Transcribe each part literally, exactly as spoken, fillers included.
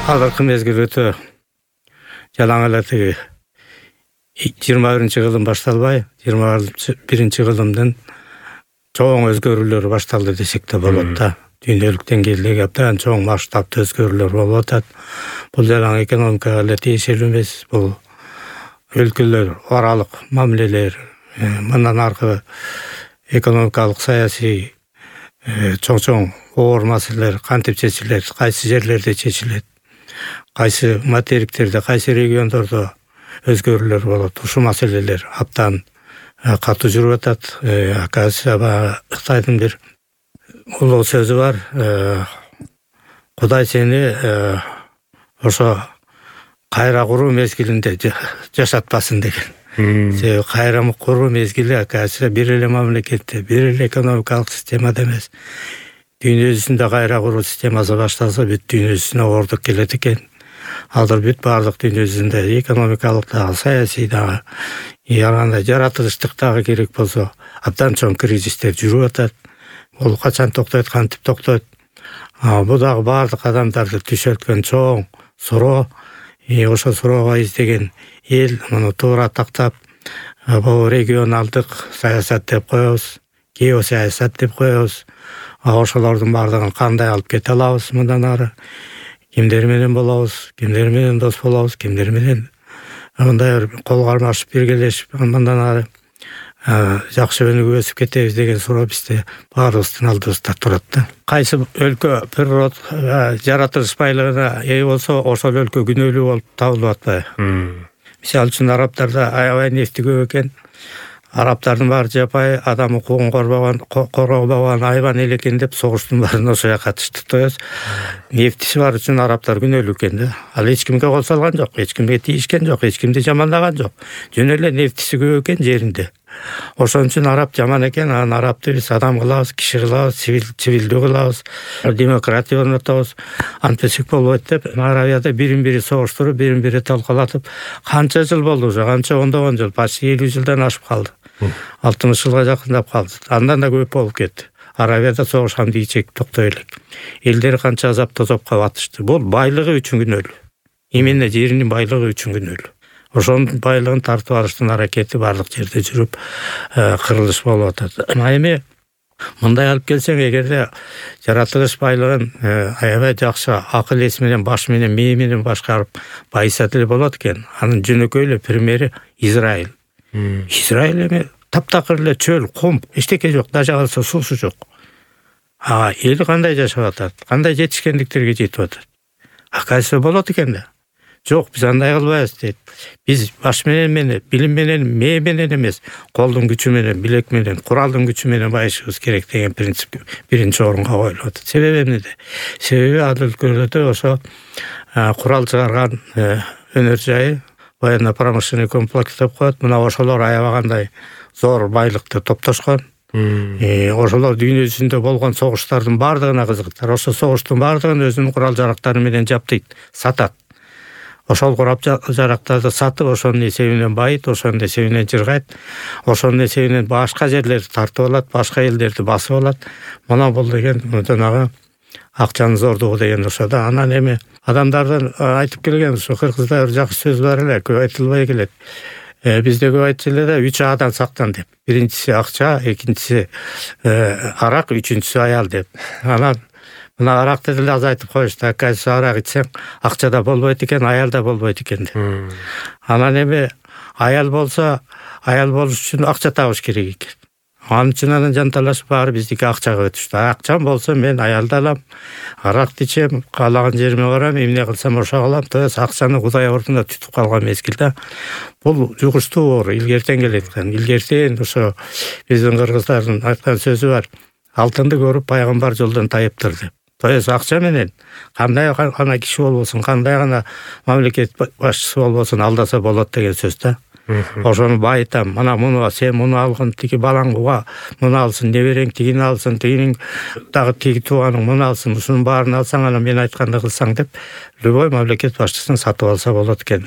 Азыркы мезгил өтө жалаң эле тиги жыйырма биринчи кылым башталбай, жыйырма биринчи кылымдын чоң өзгөрүүлөрү башталды десек да болот да. Дүйнөлүк деңгээлдеги абдан чоң масштабты өзгөрүүлөр болуп атат. Бул жалаң экономикага эле тиешелүү эмес, бул өлкөлөр аралык мамилелер, мындан аркы экономикалык, саясий чоң-чоң оор маселелер кантип чечилет, кайсы жерлерде чечилет, кайсы материктерде, кайсы региондордо өзгөрүүлөр болот. Ушул маселелер абдан катуу жүрүп атат. Оказывается, Кытайдын бир улуу сөзү бар. Кудай сени ошо кайра куруу мезгилинде жашатпасын деген. Себеби кайра куруу мезгили оказывается бир эле мамлекетте, бир эле экономикалык системада эмес. Дүйнө жүзүндө кайра куруу системасы башталса, бүт дүйнө жүзүнө оордук келет экен. Азыр бүт баардык дүйнө жүзүндө экономикалык дагы, саясий дагы, андай жаратылыштык дагы керек болсо, абдан чоң кризистер жүрүп атат. Бул качан токтойт, кантип токтойт? Бул дагы баардык адамдарды түшөткөн чоң суроо. Ошо суроого издеген эл муну туура тактап, бул регионалдык саясат деп коебуз, геосаясат деп коебуз. Ошолордун баардыгын кандай алып кете алабыз мындан ары? Кимдер менен болобуз, кимдер менен дос болобуз, кимдер менен мындай кол кармашып биргелешип мындан ары жакшы өнүгүп өсүп кетебиз деген суроо бизде баарыбыздын алдыбызда турат да. Кайсы өлкө природ жаратылыш байлыгына ээ болсо, ошол өлкө күнөөлүү болуп табылып атпайбы? Мисалы үчүн арабтарда аябай нефти көп экен. Арабтардын баары жапай адам укугун корбогон, коргобогон айбан эл экен деп согуштун баарын ошо жака катышты. То есть нефтиси бар үчүн арабтар күнөөлүү экен да. Ал эч кимге кол салган жок, эч кимге тийишкен жок, эч кимди жаманлаган жок. Жөн эле нефтиси көп экен жеринде. Ошон үчүн араб жаман экен, анан арабты биз адам кылабыз, киши кылабыз, цивилдүү кылабыз, демократия орнотобуз. Антпесек болбойт деп Арабияда бирин бири согуштуруп, бирин бири талкалатып, канча жыл болду уже, канча ондогон жыл, почти элүү жылдан ашып калды. алтымыш жылга жакындап калды. Андан да көп болуп кетти. Арабияда согуш амдийчек токтой элек. Элдер канча азап тозопко батышты. Бул байлыгы үчүн күнөөлүү. Именно жеринин байлыгы үчүн күнөөлүү. Ошонун байлыгын тартып алыштын аракети баардык жерде жүрүп, кырылыш болуп атат. Эми мындай алып келсең, эгерде жаратылыш байлыгын аябай жакшы акыл эс менен, баш менен, мээ менен башкарып байыса деле болот экен. Анын жөнөкөй эле примери Израиль. Израиль эми таптакыр эле чөл, кум, эчтеке жок, даже калса суусу жок. А эл кандай жашап атат? Кандай жетишкендиктерге жетип атат? Оказывается, болот экен да. Жок, биз андай кылбайбыз дейт. Биз баш менен менен, билим менен, мээ менен эмес, колдун күчү менен, билек менен, куралдын күчү менен байышыбыз керек деген принцип биринчи орунга коюлуп атат. Себеби эмнеде? Себеби ал өлкөлөрдө ошо курал чыгарган өнөр жайы, военно-промышленный комплекс деп коет. Мына ошолор аябагандай зор байлыкты топтошкон. Ошолор дүйнө жүзүндө болгон согуштардын баардыгына кызыктар. Ошо согуштун баардыгын өзүнүн курал жарактары менен жаптайт, сатат. Ошол курал жарактарды сатып, ошонун эсебинен байыт, ошонун эсебинен жыргайт, ошонун эсебинен башка жерлерди тартып алат, башка элдерди басып алат. Мына бул деген жанагы акчанын зордугу деген ошо да. Анан эми адамдардын айтып келген ушу кыргызда бир жакшы сөз бар эле, көп айтылбай келет. Бизде көп айтчу эле да, үч Адан сактан деп. Биринчиси акча, экинчиси арак, үчүнчүсү аял деп. Анан мына аракты деле азайтып коюшту. Оказывается, арак ичсең, акча да болбойт экен, аял да болбойт экен деп. Анан эми аял болсо, аял болуш үчүн акча табыш керек экен. Анын үчүн анан жанталашып баары биздики акчага өтүштү. Акчам болсо мен аялды алам, аракты ичем, каалаган жериме барам, эмне кылсам ошо кылам. То есть акчаны Кудай ордуна түтүп калган мезгилде бул жугуштуу оор, илгертен келет экен. Илгертен ошо биздин кыргыздардын айткан сөзү бар. Алтынды көрүп пайгамбар жолдон тайыптыр деп. То есть акча менен кандай гана киши болбосун, кандай гана мамлекет башчысы болбосун алдаса болот деген сөз да. Ошону байытам. Мына муну сен муну алгын, тиги балаңга муну алсын, неберең тигини алсын, тигинин дагы тиги тууганың муну алсын, ушунун баарын алсаң, анан мен айтканды кылсаң деп любой мамлекет башчысын сатып алса болот экен.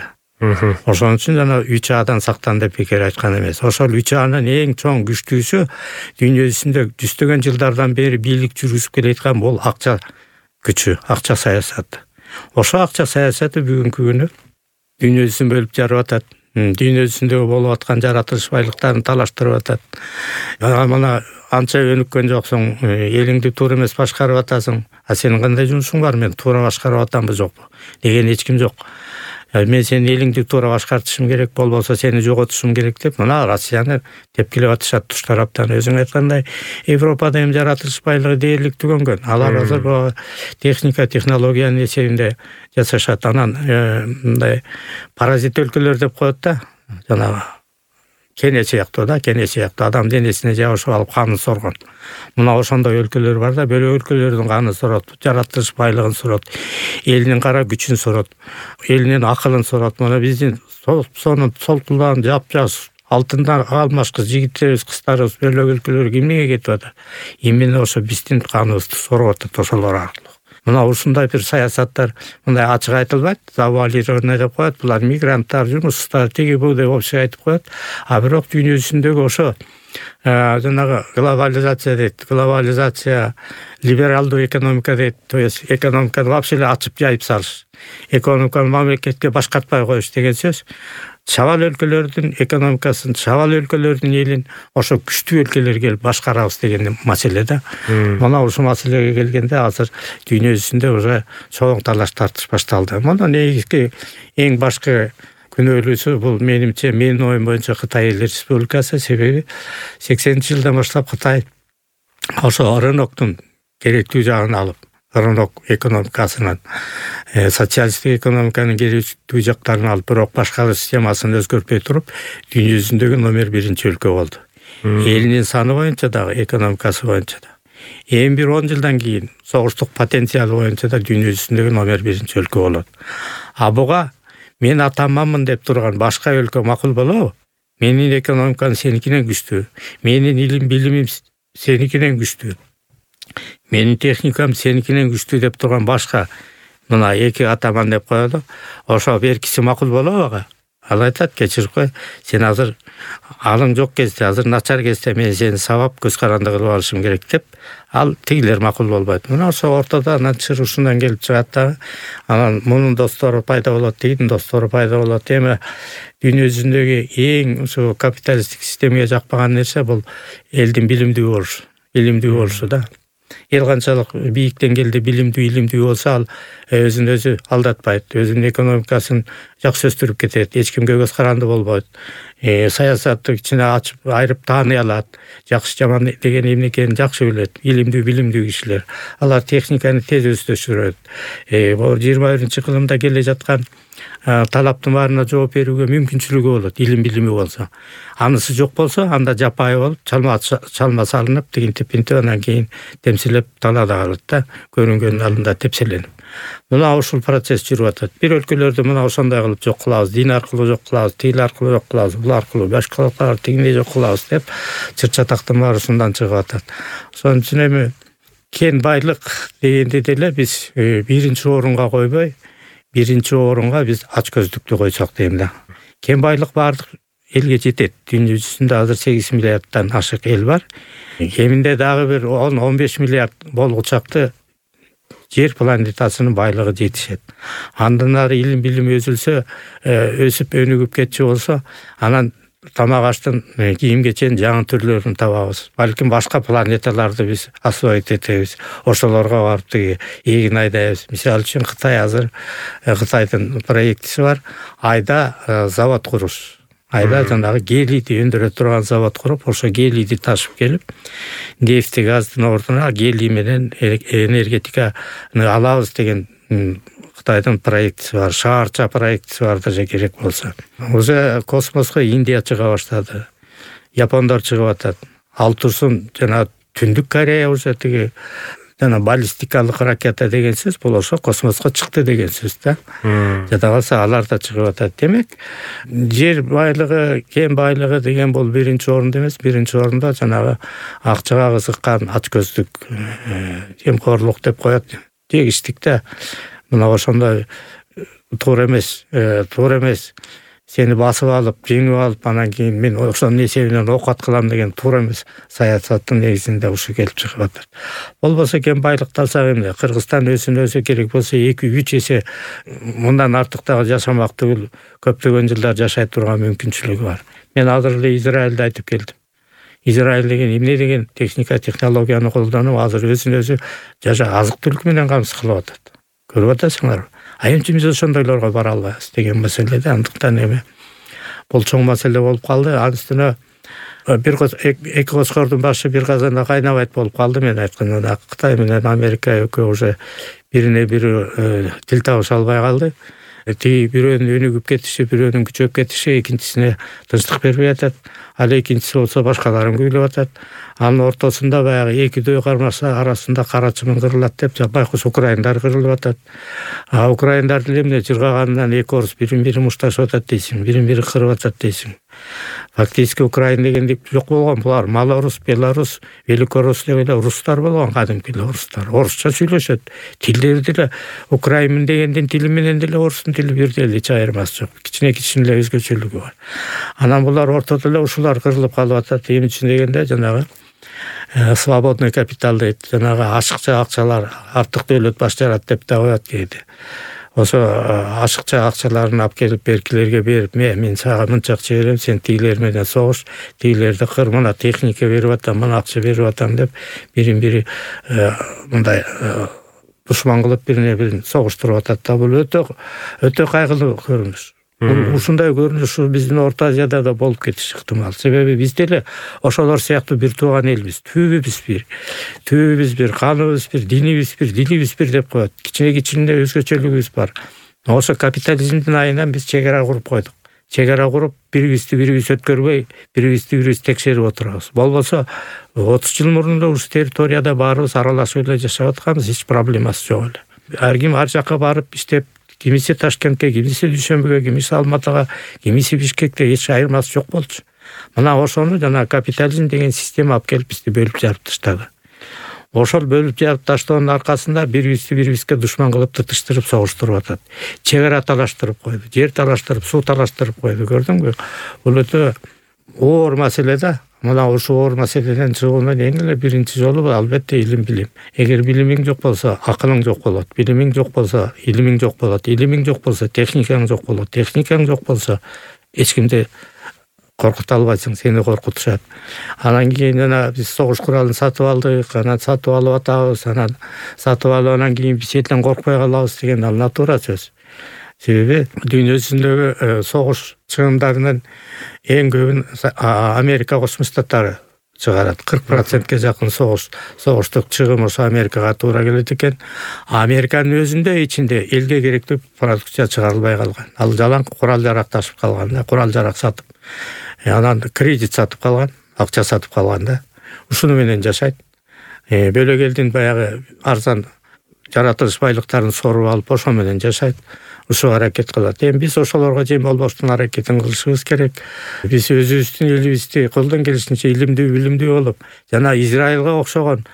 Ошон үчүн жана үч Адан сактан деп бекер айткан эмес. Ошол үч Анын эң чоң күчтүүсү дүйнө жүзүндө жүздөгөн жылдардан бери бийлик жүргүзүп келаткан бул акча күчү, акча саясаты. Ошо акча саясаты бүгүнкү күнү дүйнөсүн бөлүп жарып атат. Дүйнөсүндөгү болуп аткан жаратылыш байлыктарын талаштырып атат. Мына анча өнүккөн жоксуң, элиңди туура эмес башкарып атасың. А сенин кандай жумушуң бар? Мен туура башкарып атамбы жокпу деген эч ким жок. Мен сенин элиңди туура башкартышым керек, болбосо сени жоготушум керек деп мына Россияны тепкилеп атышат туш тараптан. Өзүң айткандай, Европада эми жаратылыш байлыгы дээрлик түгөнгөн. Алар азыр техника, технологиянын эсебинде жашашат. Анан мындай паразит өлкөлөр деп коет да, жанагы кене сыяктуу да, кене сыяктуу адам денесине жабышып алып канын соргон. Мына ошондой өлкөлөр бар да, бөлө өлкөлөрдүн канын сорот, жаратылыш байлыгын сорот, элинин кара күчүн сорот, элинин акылын сорот. Мына биздин сонун солтулдан жапжаш алтындан алмашкы жигиттерибиз, кыздарыбыз бөлө өлкөлөргө эмнеге кетип атат? Именно ошо биздин каныбызды сорып атат ошолор аркылуу. Мына ушундай бир саясаттар мындай ачык айтылбайт, завуалированный деп коет. Булар мигранттар, жумушсуздар, тиги бу деп общий айтып коет. А бирок дүйнөсүндөгү ошо жанагы глобализация дейт. Глобализация, либералдуу экономика дейт. То есть экономиканы вообще эле ачып жайып салыш. Экономиканы мамлекетке башкартпай коюш деген сөз. Чабал өлкөлөрдүн экономикасын, чабал өлкөлөрдүн элин ошо күчтүү өлкөлөр келип башкарабыз деген маселе да. Мына ушул маселеге келгенде азыр дүйнөсүндө уже чоң талаш тартыш башталды. Мына негизги эң башкы күнөөлүүсү бул менимче, менин оюм боюнча Кытай Эл Республикасы. Себеби сексенинчи жылдан баштап Кытай ошо рыноктун керектүү жагын алып, рынок экономикасынан социалисттик экономиканын керектүү жактарын алып, бирок башкаруу системасын өзгөртпөй туруп, дүйнөсүндөгү номер биринчи өлкө болду. Элинин саны боюнча дагы, экономикасы боюнча да. Эми бир он жылдан кийин согуштук потенциалы боюнча да дүйнөсүндөгү номер биринчи өлкө болот. А буга мен атаманмын деп турган башка өлкө макул болобу? Менин экономикам сеникинен күчтүү, менин илим билимим сеникинен күчтүү, менин техникам сеникинен күчтүү деп турган башка мына эки атаман деп коёду. Ошо беркиси макул болобу ага? Ал айтат, кечирип кой, сен азыр алың жок кезде, азыр начар кезде мен сени сабап көз каранды кылып алышым керек деп, ал тигилер макул болбойт. Мына ошо ортодо анан чыр ушундан келип чыгат да. Анан мунун достору пайда болот, тигинин достору пайда болот. Эми дүйнөсүндөгү эң ушу капиталисттик системага жакпаган нерсе бул элдин билимдүү болушу, илимдүү болушу да. Эл канчалык бийик деңгээлде билимдүү, илимдүү болсо, ал өзүн өзү алдатпайт, өзүнүн экономикасын жакшы өстүрүп кетет, эч кимге көз каранды болбойт. Э, саясатты кичине ачып, айырып тааный алат, жакшы жаман деген эмне экенин жакшы билет, илимдүү, билимдүү кишилер. Алар техниканы тез өздөштүрөт. Э, бул жыйырма биринчи кылымда келе жаткан талаптын баарына жооп берүүгө мүмкүнчүлүгү болот, илим билими болсо. Анысы жок болсо, анда жапайы болуп, чалма чалма салынып, тигинтип интип анан кийин темселеп талаада калат да, көрүнгөн алдында тепселенип. Мына ушул процесс жүрүп атат. Бир өлкөлөрдү мына ошондой кылып жок кылабыз, дин аркылуу жок кылабыз, тил аркылуу жок кылабыз, бул аркылуу башкалар тигиндей жок кылабыз деп чыр-чатактын баары ушундан чыгып атат. Ошон үчүн эми кен байлык дегенде деле биз биринчи орунга койбой, биринчи орунга биз ачкөздүктү койсок дейм да. Кен байлык баардык элге жетет. Дүйнө жүзүндө азыр сегиз миллиарддан ашык эл бар. Кеминде дагы бир он он беш миллиард болгучакты жер планетасынын байлыгы жетишет. Андан ары илим билим өзүлсө, өсүп өнүгүп кетчү болсо, анан тамак аштын кийим кеченин жаңы түрлөрүн табабыз. Балким башка планеталарды биз освоить этебиз. Ошолорго барып тиги эгин айдайбыз. Мисалы үчүн Кытай азыр Кытайдын проектиси бар. Айда завод куруш. Айда жанагы гелийди өндүрө турган завод куруп, ошо гелийди ташып келип, нефти газдын ордуна гелий менен энергетиканы алабыз деген Кытайдын проектиси бар, шаарча проектиси бар даже керек болсо. Уже космоско Индия чыга баштады. Япондар чыгып атат. Ал турсун жана Түндүк Корея уже тиги жана баллистикалык ракета деген сөз, бул ошо космоско чыкты деген сөз да. Жада калса алар да чыгып атат. Демек, жер байлыгы, кен байлыгы деген бул биринчи орунда эмес, биринчи орунда жанагы акчага кызыккан ачкөздүк, темкорлук деп коет. Тегиштик да. Мына ошондой туура эмес, туура эмес сени басып алып, жеңип алып, анан кийин мен ошонун эсебинен оокат кылам деген туура эмес. Саясаттын негизинде ушу келип чыгып атат. Болбосо кен байлыкты алсак эмне, Кыргызстан өсүн өсө керек болсо эки үч эсе мындан артык дагы жашамак түгүл, көптөгөн жылдар жашай турган мүмкүнчүлүгү бар. Мен азыр эле Израилде айтып келдим. Израиль деген эмне деген техника, технологияны колдонуп, азыр өзүн өзү жаша азык-түлүк менен камсыз кылып атат. Көрүп атасыңарбы? А эмче биз ошондойлорго бара албайбыз деген маселеде. Андыктан эми бул чоң маселе болуп калды. Анын үстүнө бир эки коскордун башы бир казанда кайнабайт болуп калды. Мен айтканда Кытай менен Америка экөө уже бирине бири тил табыша албай калды. Тиги бирөөнүн өнүгүп кетиши, бирөөнүн күчөп кетиши экинчисине тынчтык бербей атат. Ал экинчиси болсо башкаларын күйлөп атат. Анын ортосунда баягы эки дөй кармаса арасында кара чымын кырылат деп байкуш украиндар кырылып атат. А украиндар деле эмне жыргаганынан эки орус бирин-бири мушташып атат дейсиң, бирин-бири кырып атат дейсиң. Фактически Украин дегенди жок болгон. Булар Малорус, Белорус, Великорус деп эле рустар болгон, кадимки рустар. Орусча сүйлөшөт. Тилдери деле Украин дегендин тили менен деле орустун тили бирдей эле, эч айырмасы жок. Кичине-кичине эле өзгөчөлүгү бар. Анан булар ортодо эле ушулар кырылып калып атат. Эмне үчүн дегенде жанагы свободный капитал дейт. Жанагы ашыкча акчалар, артык дөөлөт баш жарат деп да коет кээде. Ошо ашыкча акчаларын алып келип беркилерге берип, мен сага мынча акча берем, сен тигилер менен согуш, тигилерди кыр, мына техника берип атам, мына акча берип атам деп бирин-бири мындай душман кылып бирине-бирин согуштуруп атат да. Бул өтө өтө кайгылуу көрүнүш. Ушундай көрүнүш биздин Орто Азияда да болуп кетиши ыктымал. Себеби биз деле ошолор сыяктуу бир тууган элбиз. Түбүбүз бир. Түбүбүз бир, каныбыз бир, динибиз бир, дилибиз бир деп коет. Кичине-кичине өзгөчөлүгүбүз бар. Ошо капитализмдин айынан биз чегара куруп койдук. Чегара куруп, бирибизди бирибиз өткөрбөй, бирибизди бирибиз текшерип отурабыз. Болбосо отуз жыл мурун эле ушул территорияда баарыбыз аралашып эле жашап атканбыз, эч проблемасы жок эле. Ар ким ар жакка барып иштеп, кимиси Ташкентке, кимиси Дүйшөмбүгө, кимиси Алматыга, кимиси Бишкекке, эч айырмасы жок болчу. Мына ошону жана капитализм деген система алып келип бизди бөлүп жарып таштады. Ошол бөлүп жарып таштоонун аркасында бирибизди бирибизге душман кылып тытыштырып согуштуруп атат. Чегара талаштырып койду, жер талаштырып, суу талаштырып койду, көрдүңбү? Бул өтө оор маселе да. Мына ушул оор маселеден чыгуунун эң эле биринчи жолу албетте илим билим. Эгер билимиң жок болсо, акылың жок болот. Билимиң жок болсо, илимиң жок болот. Илимиң жок болсо, техникаң жок болот. Техникаң жок болсо, эч кимди коркута албайсың, сени коркутушат. Анан кийин жана биз согуш куралын сатып алдык, анан сатып алып атабыз, анан сатып алып анан кийин биз четен коркпой калабыз деген ал натура сөз. Себеби дүйнө жүзүндөгү согуш чыгымдарынын эң көбүн Америка Кошмо Штаттары чыгарат. кырк процентке жакын согуш, согуштук чыгым ошо Америкага туура келет экен. Американын өзүндө ичинде элге керектүү продукция чыгарылбай калган. Ал жалаң курал-жарак ташып калган, курал-жарак сатып, анан кредит сатып калган, акча сатып калган да. Ушуну менен жашайт. Бөлөк элдин баягы арзан жаратылыш байлыктарын соруп алып, ошо менен жашайт. Ушул аракет кылат. Эми биз ошолорго жем болбоштун аракетин кылышыбыз керек. Биз өзүбүздүн элибизди колдон келишинче илимдүү, билимдүү болуп, жана Израилга окшогон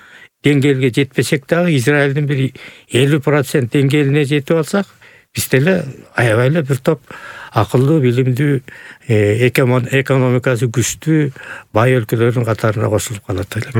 деңгээлге жетпесек дагы, Израилдин бир элүү процент деңгээлине жетип алсак, биз деле аябай эле бир топ акылдуу, билимдүү, экономикасы күчтүү бай өлкөлөрдүн катарына кошулуп калат элек.